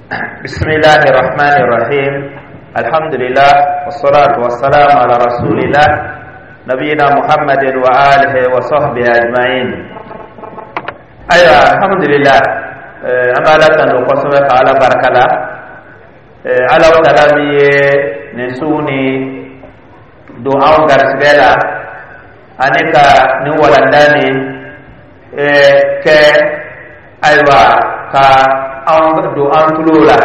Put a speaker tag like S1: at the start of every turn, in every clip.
S1: بسم الله الرحمن الرحيم، الحمد لله والصلاة والسلام على رسول الله نبينا محمد وآله وصحبه أجمعين. Ayiwa, alhamdulillah, an bɛ Ala tanu kosɛbɛ, ka Ala barika la. Ala taala min ye nin su nin don anw garisigɛ la ani ka nin walanda nin kɛ, ayiwa, ka anw don an tulo la,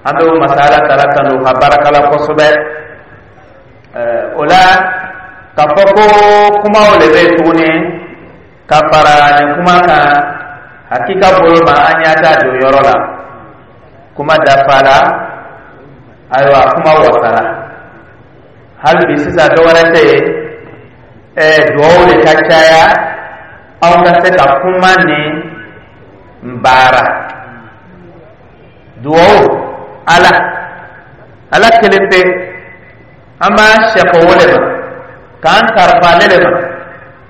S1: an bɛ o masa Ala taala tanu ka barika la kosɛbɛ. O la, k'a fɔ ko kumaw le bɛ tuguni ka fara nin kuma kan, hakika bolo ma, an y'a ta don yɔrɔ la, kuma dafa la. Ayiwa, kuma wasara hali bi. Sisan, dɔ wɛrɛ tɛ yen, duwawu de ka caya anw ka se ka kuma nin baara. Duwawu, Ala, Ala kelen pe, an b'an sɛkɔ o de ma, k'an karifa ale de ma.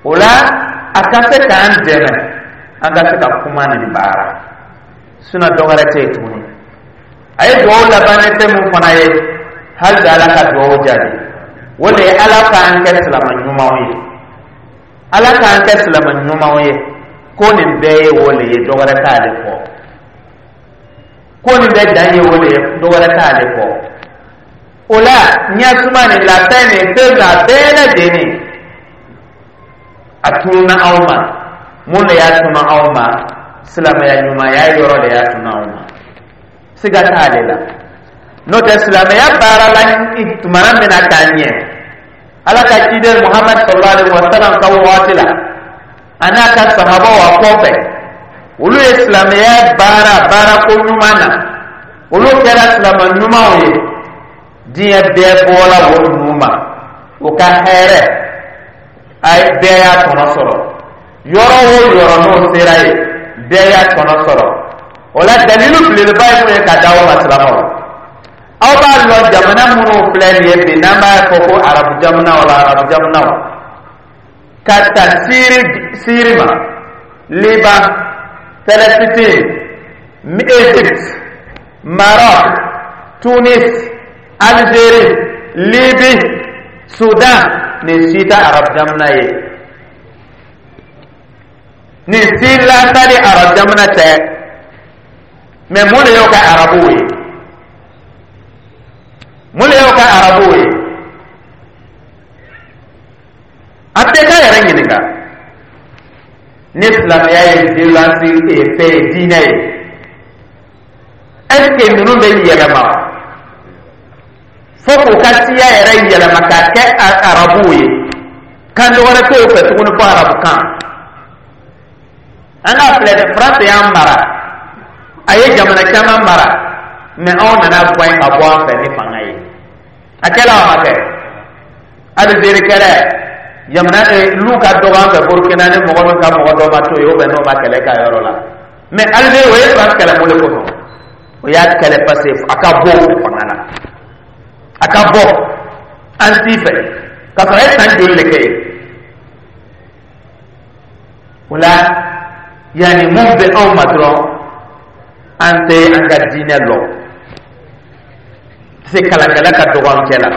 S1: O la, a ka se k'an dɛmɛ an ka se ka kuma nin baara. Sinon, dɔ wɛrɛ tɛ yen tuguni. A ye duwawu laban ni fɛn mun fana ye, hali bi Ala ka duwawu jaabi, o de ye Ala k'an kɛ silama ɲumanw ye, Ala k'an kɛ silama ɲumanw ye. Ko nin bɛɛ ye o de ye, dɔ wɛrɛ t'ale kɔ. Ko nin bɛɛ dan ye o de ye, dɔ wɛrɛ t'ale kɔ. O la, ɲɛsuma nin, lafiya nin, fɛn a bɛɛ lajɛlen, a tununa anw ma. Mun de y'a tunu anw ma? Silamɛya ɲumanya yɔrɔ de y'a tunu anw ma, siga t'ale la. N'o tɛ, silamɛya baara la tumana min na k'a ɲɛ, Ala ka ciden Muhamad sallallahu alaihi wa sallam ka waati la, a n'a ka sahabaw a kɔfɛ, olu ye silamɛya baara baara ko ɲuman na, olu kɛra silamɛ ɲumanw ye. Diɲɛ bɛɛ bɔra o ninnu ma, o ka hɛrɛ a bɛɛ y'a tɔnɔ sɔrɔ. Yɔrɔ o yɔrɔ n'o sera yen, bɛɛ y'a tɔnɔ sɔrɔ. O la, dalilu belebeleba ye mun ye ka da aw ma? Silamɛw, aw b'a lɔn, jamana minnu filɛ nin ye bi, n'an b'a fɔ ko Arabu jamanaw la, Arabu jamanaw, ka ta Siri ma, Liban, Palestine, Égypte, Maroc, Tunis, Algérie, Libye, Soudan, nin si tɛ Arabu jamana ye, nin si lasali Arabu jamana tɛ. Mɛ mun de y'o kɛ Arabuw ye? Mun de y'o kɛ Arabuw ye? An tɛ k'a yɛrɛ ɲininka. Ni silamɛya ye violence ye, fɛn ye, diinɛ ye, est ce que ninnu bɛ yɛlɛma fo k'u ka siya yɛrɛ yɛlɛma k'a kɛ Arabuw ye, kan dɔ wɛrɛ t'o fɛ tuguni fo Arabu kan? An k'a filɛ dɛ, France y'an mara, a ye jamana caman mara, mɛ anw nana bɔ ka bɔ an fɛ ni fanga ye. A kɛla o ma kɛ? Algérie kɛlɛ, jamana lu ka dɔgɔ an fɛ Burukina, ni mɔgɔ min ka mɔgɔ dɔ ma to yen, o bɛ n'o ma kɛlɛ ka yɔrɔ la. Mɛ Algérie, o ye France kɛlɛ mun de kosɔn? O y'a kɛlɛ parce que a ka bɔ o fanga la, a ka bɔ an t'i fɛ, k'a sɔrɔ a ye san joli de kɛ yen? O la, yanni mun bɛ anw ma dɔrɔn, an tɛ an ka diinɛ lɔ se, kalankɛla ka dɔgɔ an cɛ la,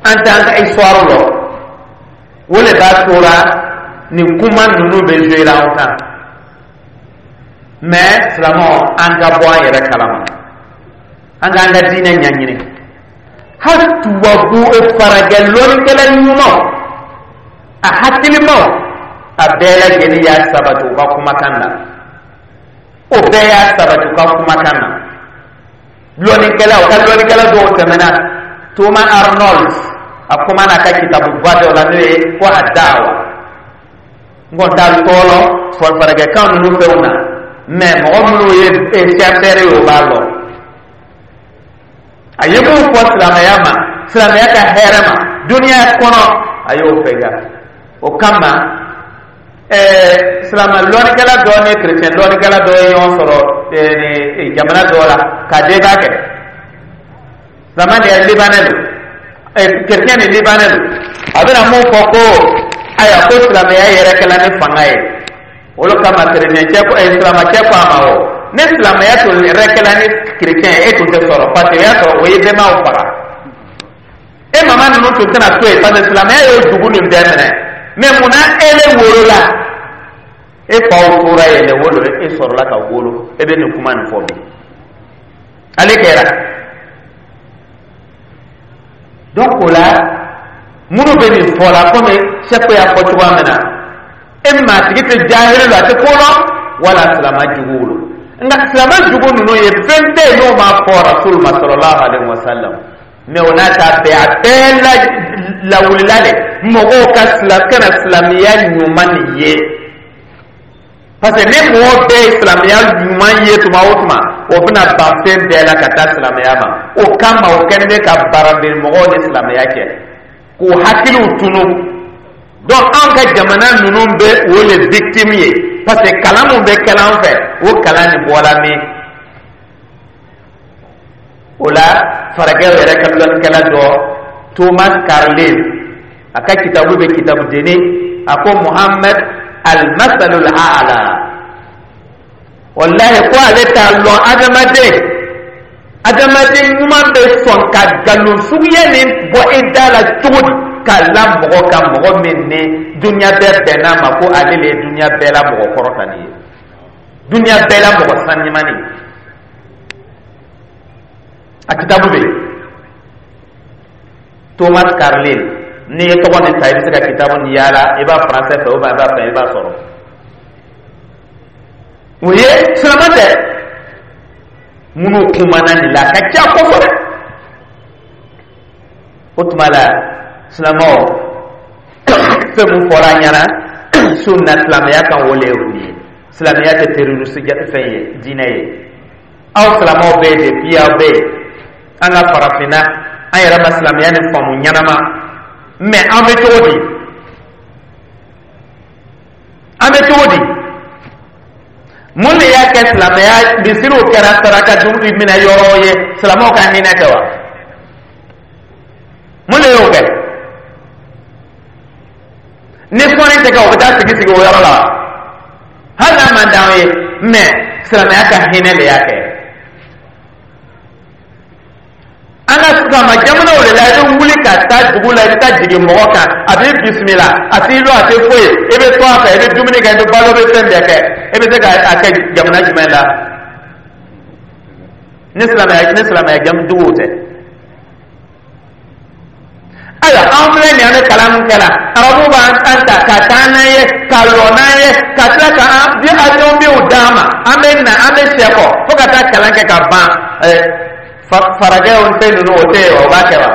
S1: an tɛ an ka histoire lɔ. O de b'a tora nin kuma ninnu bɛ jouer anw kan. Mais silamɛw, an ka bɔ an yɛrɛ kalama, an k'an ka diinɛ ɲɛɲini. Hali tubabu farajɛ lɔnnikɛla ɲumanw, a hakilimaw, a bɛɛ lajɛlen y'a sabati u ka kumakan na. O bɛɛ y'a sabati u ka kumakan na. Lɔnnikɛla, u ka lɔnnikɛla dɔw tɛmɛna, Thomas Arnold, a kuma n'a ka kitabuba dɔ la, n'o ye ko a dawa. N kɔni t'a tɔɔrɔ farajɛkan ninnu fɛnw na, mɛ mɔgɔ minnu ye chercheur ye, o b'a lɔn. A ye mun fɔ silamɛya ma, silamɛya ka hɛrɛ ma duniya kɔnɔ, a y'o fɛ. O kama, silamɛ lɔnnikɛla dɔ ni kerecɛn lɔnnikɛla dɔ ye ɲɔgɔn sɔrɔ jamana dɔ la ka débat kɛ. Silamɛ de ye Libanais don, kerecɛn ni Libanais don. A bɛna mun fɔ ko ayiwa, ko silamɛya yɛrɛ kɛla ni fanga ye. Olu kama, kerecɛn cɛ ko, silamɛ cɛ ko a ma o Ni silamɛya tun yɛrɛ kɛla ni kerecɛn ye, e tun tɛ sɔrɔ, parce que o y'a sɔrɔ o ye bɛnbaw faga. E mama ninnu tun tɛna to yen, parce que silamɛya y'o dugu nin bɛɛ minɛ. Mais munna e le wolola, e faw tora yen le wolo, e sɔrɔla ka wolo, e bɛ nin kuma nin fɔ bi? Ale kɛra. Donc o la, minnu bɛ nin fɔ la, komi sɛko y'a fɔ cogoya min na, e maa tigi tɛ jahili la, a tɛ ko lɔn, wala silama juguw lo. Nka silama jugu ninnu ye, fɛn tɛ yen n'o ma fɔ Rasul ma sallallahu alaihi wa sallam. Mais o n'a ta bɛɛ, a bɛɛ la lawulila de mɔgɔw ka kana silamɛya ɲuman nin ye, parce que ni mɔgɔ bɛɛ ye silamɛya ɲuman ye tuma o tuma, o bɛna ban fɛn bɛɛ la ka taa silamɛya ma. O kama, o kɛlen bɛ ka barabiri mɔgɔw ni silamɛya cɛ, k'u hakiliw tunu. Donc anw ka jamana ninnu bɛ o le victime ye, parce que kalan mun bɛ kɛla an fɛ, o kalan nin bɔra min? O la, farajɛw yɛrɛ ka lɔnnikɛla dɔ, Thomas Carlyle, a ka kitabu bɛ kitabu denni, a ko Muhammad al-masalul a'la. Wallahi, ko ale t'a lɔn adamaden ɲuman bɛ sɔn ka nkalon suguya nin bɔ i da la cogo di, k'a la mɔgɔ kan, mɔgɔ min ni dunuya bɛɛ bɛnn'a ma ko ale le ye dunuya bɛɛ la mɔgɔ kɔrɔtalen ye, dunuya bɛɛ la mɔgɔ sanimani ye. A kitabu bɛ yen, Thomas Carlyle. N'i ye tɔgɔ nin ta, i bɛ se ka kitabu nin yaala, i b'a français fɛ ou bien i b'a fɛ, i b'a sɔrɔ. O ye silamɛ tɛ minnu kumana nin la, a ka ca kosɛbɛ. O tuma la, silamɛw, fɛn mun fɔra an ɲɛna su na silamɛya kan, o le ye o ye. Silamɛya tɛ terroriste fɛn ye, diinɛ ye. Aw silamɛw bɛ yen, depuis aw bɛ yen, an ka farafinna, an yɛrɛ ma silamɛya ni faamu ɲɛnama. Mais an bɛ cogo di? An bɛ cogo di? Mun de y'a kɛ silamɛya misiriw kɛra saraka dumuni minɛ yɔrɔ ye? Silamɛw ka hinɛ tɛ wa? Mun de y'o kɛ? Ni sɔnni tɛ kɛ, o bɛ taa sigi sigi o yɔrɔ la wa? Hali n'a man d'anw ye, mais silamɛya ka hinɛ de y'a kɛ. An ka silama jamanaw de la, i bɛ wuli ka taa dugu la, i bɛ taa jigin mɔgɔ kan, a b'i bisimila, a t'i lɔ, a tɛ foyi, i bɛ to a fɛ, i bɛ dumuni kɛ, i bɛ balo, i bɛ fɛn bɛɛ kɛ. I bɛ se ka a kɛ jamana jumɛn la ni silamɛya duguw tɛ? Ayiwa, an filɛ nin ye, an bɛ kalan min kɛ la, arabuw b'an ta ka taa n'an ye, ka lɔ n'an ye, ka tila ka an bi avion biw d'an ma, an bɛ na, an bɛ sɛ kɔ fo ka taa kalan kɛ ka ban. Farajɛw fɛn ninnu, o tɛ yen wa? O b'a kɛ wa?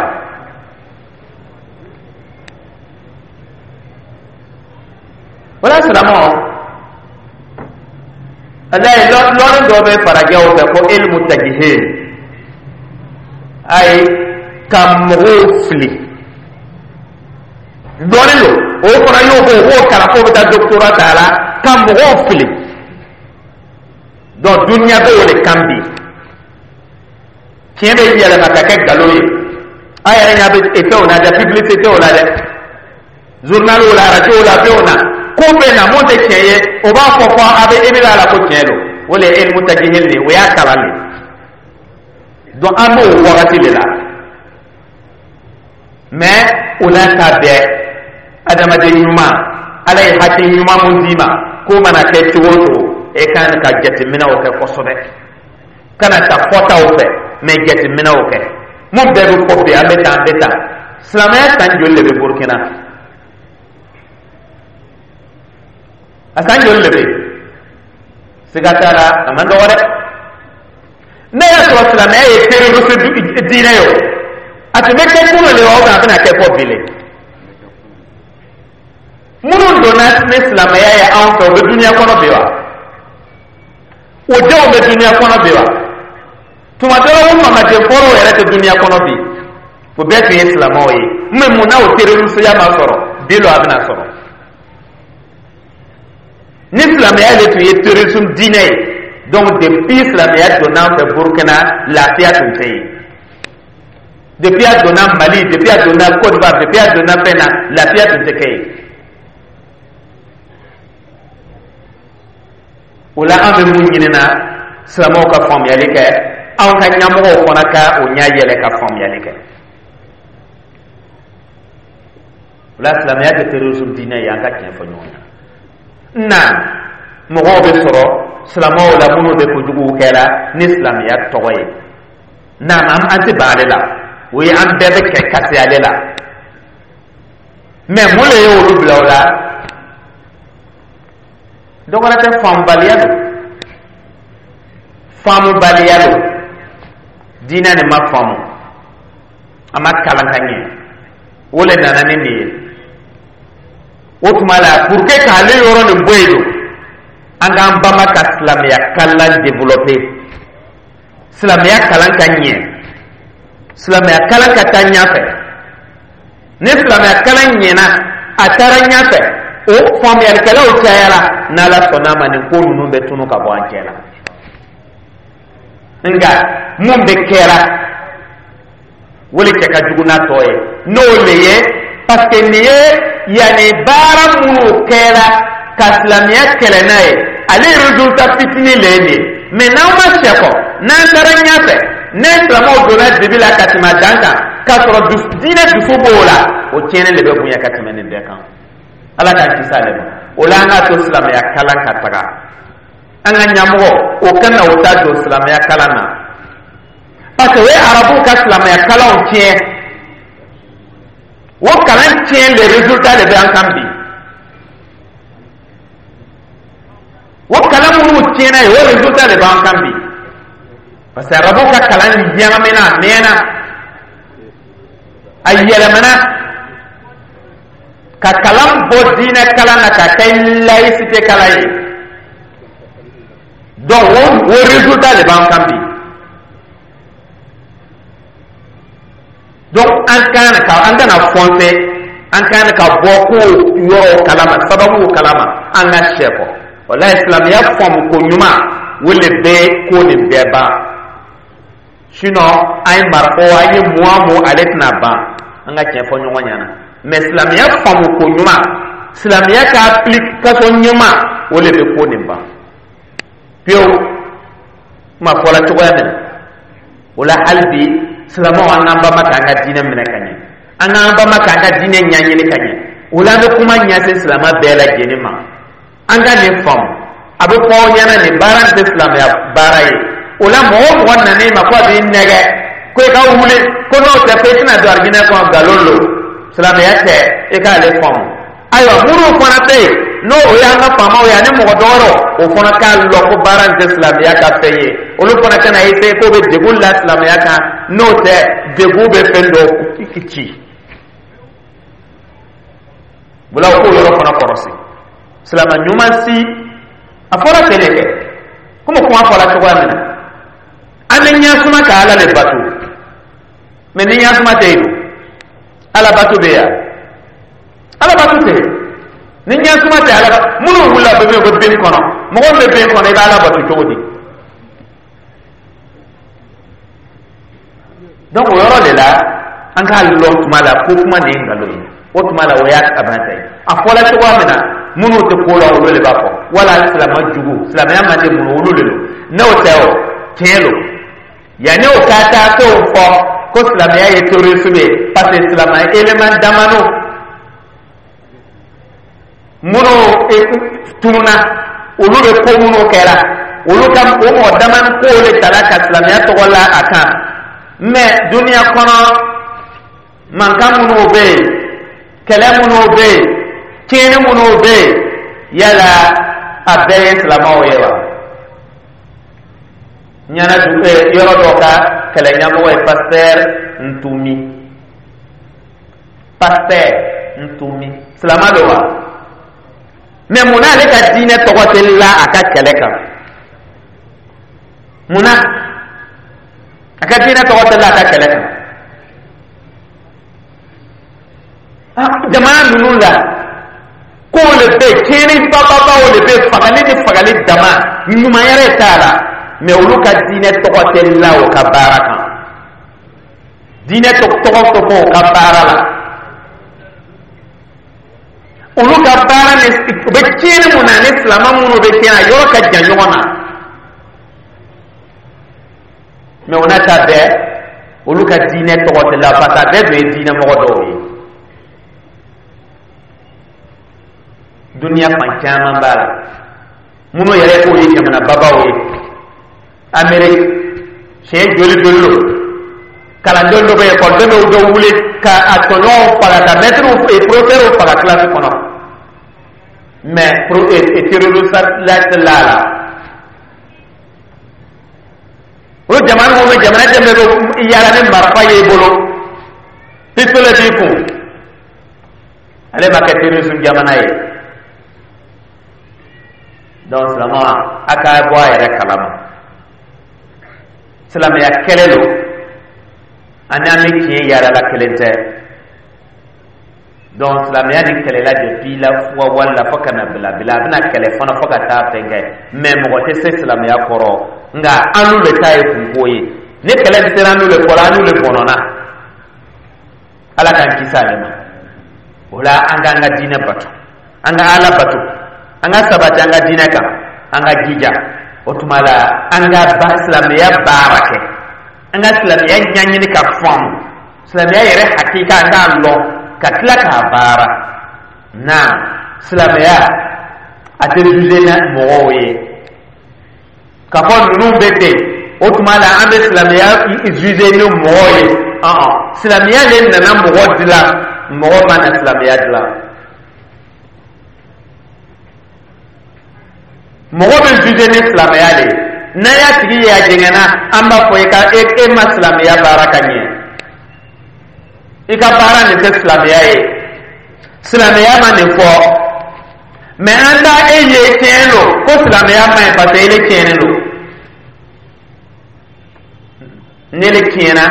S1: O la, silamɛw, alayi, lɔnni dɔ bɛ farajɛw fɛ ko ilmu tajihil, ayi, ka mɔgɔw fili dɔɔnin don. O fana y'o k'o b'o kalan k'o bɛ taa doctorat ta a la ka mɔgɔw fili. Donc dunuya bɛ o de kan bi, tiɲɛ bɛ yɛlɛma ka kɛ nkalon ye. A yɛrɛ ɲɛ bɛ fɛnw na dɛ, publicité o la dɛ, journal la, radio la, fɛnw na, ko bɛ na mun tɛ tiɲɛ ye, o b'a fɔ fɔ a bɛ e bɛ la ko tiɲɛ don. O de ye ilmu tajihil de ye, o y'a kalan de. Donc an b'o wagati de la. Mais o n'a ta bɛɛ, adamaden ɲuman, Ala ye hakili ɲuman mun d'i ma, k'o mana kɛ cogo o cogo, e kan ka jateminɛw kɛ kosɛbɛ, kana ta fɔtaw fɛ, mais jateminɛw kɛ. Mun bɛɛ bɛ fɔ bi, an bɛ tan, an bɛ tan. Silamɛya san joli de bɛ Burukina? A san joli de bɛ yen? Siga t'a la, a man dɔgɔ dɛ. Ne y'a sɔrɔ silamɛya ye terroriste diinɛ ye, o a tun bɛ kɛ kunun de wa, ou bien a bɛna kɛ fɔ bi le? Minnu donna ni silamɛya ye anw fɛ, o bɛ dunuya kɔnɔ bi wa? O denw bɛ dunuya kɔnɔ bi wa? Tuma dɔ la, o mamaden fɔlɔw yɛrɛ tɛ dunuya kɔnɔ bi. O bɛɛ tun ye silamɛw ye. Mais mun na o terrorisiya ma sɔrɔ bi lɔ, a bɛna sɔrɔ? Ni silamɛya de tun ye terrorisme diinɛ ye, donc depuis silamɛya donna an fɛ Burukina, lafiya tun tɛ yen. Depuis a donna Mali, depuis a donna Côte d'Ivoire, depuis a donna fɛn na, lafiya tun tɛ kɛ yen. O la, an bɛ mun ɲini na? Silamɛw ka faamuyali kɛ, anw ka ɲɛmɔgɔw fana ka o ɲɛ yɛlɛ ka faamuyali kɛ. O la, silamɛya tɛ terrorisme diinɛ ye. An ka tiɲɛ fɔ ɲɔgɔn ɲɛna na, mɔgɔw bɛ sɔrɔ silamɛw la minnu bɛ kojuguw kɛra ni silamɛya tɔgɔ ye. Naam, an tɛ ban ale la, o ye an bɛɛ bɛ kɛ kasi ale la. Mais mun de ye olu bila o la? Dɔ wɛrɛ tɛ, faamubaliya don, faamubaliya don. Diinɛ nin ma faamu, a ma kalan ka ɲɛ, o le nana ni nin ye. O tuma la, pour que k'ale yɔrɔ nin bɔ yen don, an k'an banba ka silamɛya kalan développer, silamɛya kalan ka ɲɛ, silamɛya kalan ka taa ɲɛfɛ. Ni silamɛya kalan ɲɛna, a taara ɲɛfɛ, o faamuyalikɛlaw cayara, n'Ala sɔnna a ma, nin ko ninnu bɛ tunu ka bɔ an cɛ la. Nka mun bɛ kɛra, o le cɛ ka jugu n'a tɔ ye, n'o le ye, parce que nin ye yanni baara minnu kɛra ka silamɛya kɛlɛ n'a ye, ale résultat fitinin le ye nin ye. Mais n'aw ma sɛkɔ, n'an taara ɲɛfɛ, ne silamɛw donna dibi la ka tɛmɛ a dan kan, k'a sɔrɔ diinɛ dusu b'o la, o tiɲɛni de bɛ bonya ka tɛmɛ nin bɛɛ kan. Ala k'an kisi ale ma. O la, an k'a to silamɛya kalan ka taga, an ka ɲɛmɔgɔ o kana o ta don silamɛya kalan na, parce que o ye arabuw ka silamɛya kalanw tiɲɛ. O kalan tiɲɛ, le résultat de bɛ an kan bi. O kalan minnu tiɲɛna ye, o résultat de b'an kan bi, parce que arabuw ka kalan ɲagamina, a mɛnna, a yɛlɛmana ka kalan bɔ diinɛ kalan na ka kɛ laïcité kalan ye. Donc o résultat de b'an kan bi. Donc an kan ka, an kana foncer, an kan ka bɔ ko yɔrɔw kalama, sababuw kalama, an ka sɛ kɔ. Walayi, silamɛya faamu ko ɲuman, o le bɛ ko nin bɛɛ ban. Sinon an ye marako, an ye mun o mun, ale tɛna ban. An ka tiɲɛ fɔ ɲɔgɔn ɲɛna. Mais silamɛya faamu ko ɲuman, silamɛya ka application ɲuman, o le bɛ ko nin ban pewu. Kuma fɔla cogoya min na, o la, hali bi silamɛw, an k'an banba k'an ka diinɛ minɛ ka ɲɛ, an k'an banba k'an ka diinɛ ɲɛɲini ka ɲɛ. O la, an bɛ kuma ɲɛsin silamɛ bɛɛ lajɛlen ma, an ka nin faamu. A bɛ fɔ aw ɲɛna, nin baara nin tɛ silamɛya baara ye. O la, mɔgɔ o mɔgɔ nan'i ma ko a b'i nɛgɛ ko i ka wuli, ko n'o tɛ ko i tɛna don arijinɛ kɔnɔ, nkalon don, silamɛya tɛ. I k'ale faamu. Ayiwa, minnu fana bɛ yen, n'o o y'an ka faamaw ye ani mɔgɔ dɔwɛrɛw, o fana k'a lɔn ko baara nin tɛ silamɛya ka fɛn ye. Olu fana kana essayer k'o bɛ degun la silamɛya kan, n'o tɛ, degun bɛ fɛn dɔ ci. O la, o k'o yɔrɔ fana kɔrɔsi. Silamɛ ɲuman si, a fɔra ten de kɛ, komi kuma fɔra cogoya min na, an bɛ ɲɛsuma ka Ala de bato. Mais ni ɲɛsuma tɛ yen, Ala bato bɛ yan? Ala bato tɛ yen. Ni ɲɛsuma tɛ, Ala minnu wulila bɛ min ko bin kɔnɔ, mɔgɔ min bɛ bin kɔnɔ, i bɛ Ala bato cogo di? Donc o yɔrɔ de la, an k'a lɔn tuma la ko kuma nin ye nkalon ye. O tuma la, o y'a kabanta ye. A fɔla cogoya min na, minnu tɛ ko la, olu de b'a fɔ, wala silamɛ jugu, silamɛya man di minnu, olu de don. N'o tɛ, o tiɲɛ don. Yanni o ka taa t'o fɔ ko silamɛya ye terrorisme ye, parce que silamɛ élément damano minnu tununa, olu bɛ ko minnu kɛra, olu ka o mɔgɔ damani kow de tala ka silamɛya tɔgɔ la a kan. Mais duniya kɔnɔ, mankan minnu bɛ yen, kɛlɛ minnu bɛ yen, tiɲɛni minnu bɛ yen, yala a bɛɛ ye silamɛw ye wa? Ɲana yɔrɔ dɔ ka kɛlɛ ɲɛmɔgɔ ye pasteur Ntumi, pasteur Ntumi, silamɛ don wa? Mais munna ale ka diinɛ tɔgɔ tɛ la a ka kɛlɛ kan? Munna a ka diinɛ tɔgɔ tɛ la a ka kɛlɛ kan? Jamana ninnu la, kow le bɛ yen, tiɲɛni bababaw le bɛ yen, fagali ni fagali dama, ɲuman yɛrɛ t'a la. Mais olu ka diinɛ tɔgɔ tɛ la o ka baara kan, diinɛ tɔgɔ tɛ fɔ o ka baara la. Olu ka baara ni u bɛ tiɲɛni mun na, ni silamɛ minnu bɛ tiɲɛ na, yɔrɔ ka jan ɲɔgɔn na. Mais o n'a ta bɛɛ, olu ka diinɛ tɔgɔ tɛ la, parce que a bɛɛ tun ye diinɛ mɔgɔ dɔw ye. Duniya fan caman b'a la, minnu yɛrɛ k'o ye jamana babaw ye. Amérique, siɲɛ joli joli lo kalanden dɔ bɛ ekɔliden dɔw bɛ wuli ka a tɔɲɔgɔnw faga, ka mɛtiriw, profɛrɛw faga kilasi kɔnɔ. Mais terroriste la tɛ la la. O jamana minnu bɛ jamana dɛmɛ bɛ yaala ni marifa y'i bolo, pistolet b'i kun, ale ma kɛ terrorisme jamana ye. Donc silamɛ, a ka bɔ a yɛrɛ kalama, silamɛya kɛlɛ lo ani an bɛ tiɲɛ yaala la, kelen tɛ. Donc silamɛya ni kɛlɛla depuis la wali la fo ka na bila bila, a bɛna kɛlɛ fana fo ka taa fɛn kɛ. Mais mɔgɔ tɛ se silamɛya kɔrɔ, nka an n'u le ta ye kunko ye. Ni kɛlɛ sera an n'u le kɔrɔ, an n'u le bɔnɔna. Ala k'an kisi ale ma. O la, an k'an ka diinɛ bato, an ka Ala bato, an ka sabati an ka diinɛ kan, an ka jija. O tuma la, an ka ba silamɛya baara kɛ, an ka silamɛya ɲɛɲini ka faamu, silamɛya yɛrɛ hakika, an k'a lɔn ka tila k'a baara. Na silamɛya a tɛ juger na mɔgɔw ye k'a fɔ ninnu bɛ ten. O tuma la, an bɛ silamɛya juger ni mɔgɔw ye. Ɔn, silamɛya le nana mɔgɔ dilan, mɔgɔ ma na silamɛya dilan. Mɔgɔ bɛ juger ni silamɛya le ye. N'a y'a tigi ye a jɛngɛnna, an b'a fɔ i ka e ma silamɛya baara ka ɲɛ, i ka baara nin tɛ silamɛya ye, silamɛya ma nin fɔ. Mais an t'a e ye tiɲɛ don ko silamɛya ma ɲi, parce que ele tiɲɛnen don. Ne le tiɲɛna,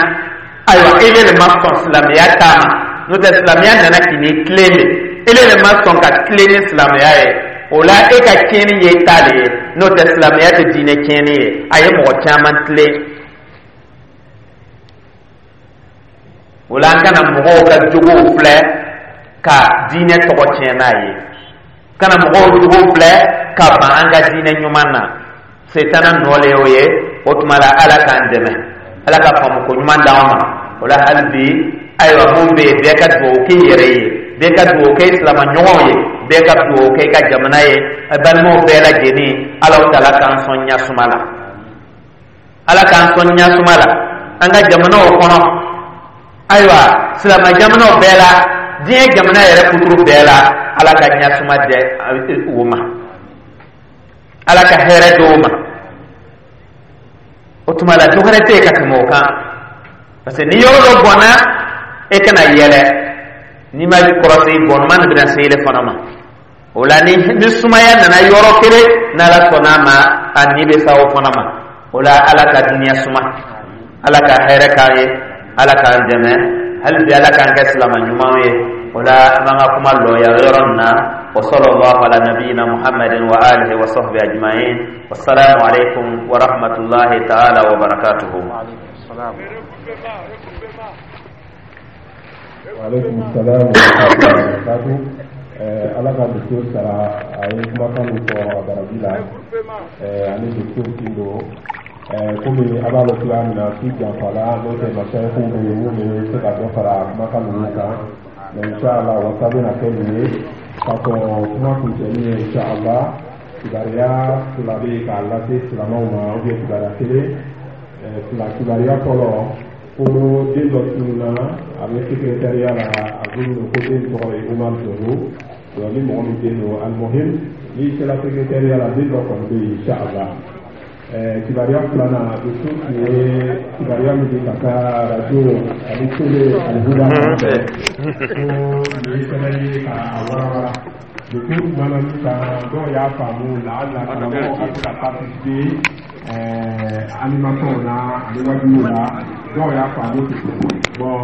S1: ayiwa, ele le ma sɔn silamɛya ta ma. N'o tɛ, silamɛya nana k'i ni tilen de, ele le ma sɔn ka tilen ni silamɛya ye. O la, e ka tiɲɛni ye ta le ye. N'o tɛ, silamɛya tɛ diinɛ tiɲɛni ye, a ye mɔgɔ caman tilen. O la, an kana mɔgɔw ka jogow filɛ ka diinɛ tɔgɔ tiɲɛ n'a ye, kana mɔgɔw jogow filɛ ka ban an ka diinɛ ɲuman na. Setana nɔ le y'o ye. O tuma la, Ala k'an dɛmɛ, Ala ka faamuko ɲuman d'an ma. O la, hali bi, ayiwa, mun bɛ yen, bɛɛ ka dugawu k'i yɛrɛ ye, bɛɛ ka dugawu kɛ i silama ɲɔgɔnw ye, bɛɛ ka dugawu kɛ i ka jamana ye. Balimaw bɛɛ lajɛlen, Ala taala k'an sɔn ɲasuma la, Ala k'an sɔn ɲasuma la an ka jamanaw kɔnɔ. Ayiwa, silama jamanaw bɛɛ la, diɲɛ jamana yɛrɛ kuturu bɛɛ la, Ala ka ɲasuma dɛ u ma, Ala ka hɛrɛ d'o ma. O tuma la, dɔ wɛrɛ tɛ yen ka tɛmɛ o kan, parce que ni yɔrɔ dɔ bɔnna, e kana yɛlɛ. N'i ma kɔrɔsi, bɔnuma nin bɛna se ele fana ma. O la, ni sumaya nana yɔrɔ kelen, n'Ala sɔnna a ma, a ni bɛ sa o fana ma. O la, Ala ka duniya suma, Ala ka hɛrɛ k'an ye, Ala k'an dɛmɛ hali bi, Ala k'an kɛ silama ɲumanw ye. O la, an b'an ka kuma lɔ yan yɔrɔ nin na. Wa sallallahu ala nabiyina Muhammadin wa alihi wa sahbihi ajma'in. Wassalamu alaikum wa rahmatullahi ta'ala wa barakatuhu.
S2: Wa alaikum salam wa rahmatullahi wa barakatuh. Ala ka docteur sara, a ye kumakan min fɔ a baraji la. Ani docteur Tindo, komi a b'a lɔn cogoya min na, su janfala, n'o tɛ masayikiw bɛ yen minnu bɛ se ka dɔ fara kumakan ninnu kan. Mais inshallah, wasa bɛna kɛ nin ye ka kɔn kuma kuncɛli ye. Inshallah, kibaruya fila bɛ yen k'a lase silamɛw ma, ou bien kibaruya kelen, fila. Kibaruya fɔlɔ, ko den dɔ tununna, a bɛ secrétariat la, a bolo ko den tɔgɔ ye Umar Zogo. Donc ni mɔgɔ min den don, almuhim, n'i sera secrétariat la, den dɔ kɔni bɛ yen, inshallah. Kibaruya filanan, docteur tun ye kibaruya min di ka taa radio ani télé Alihuda sanfɛ, ko nin ye sɛbɛn ye k'a walawala. Docteur kumana min kan, dɔw y'a faamu laala karamɔgɔ ka se ka participer animation na ani wajibiw la, dɔw y'a faamu ten. Bon.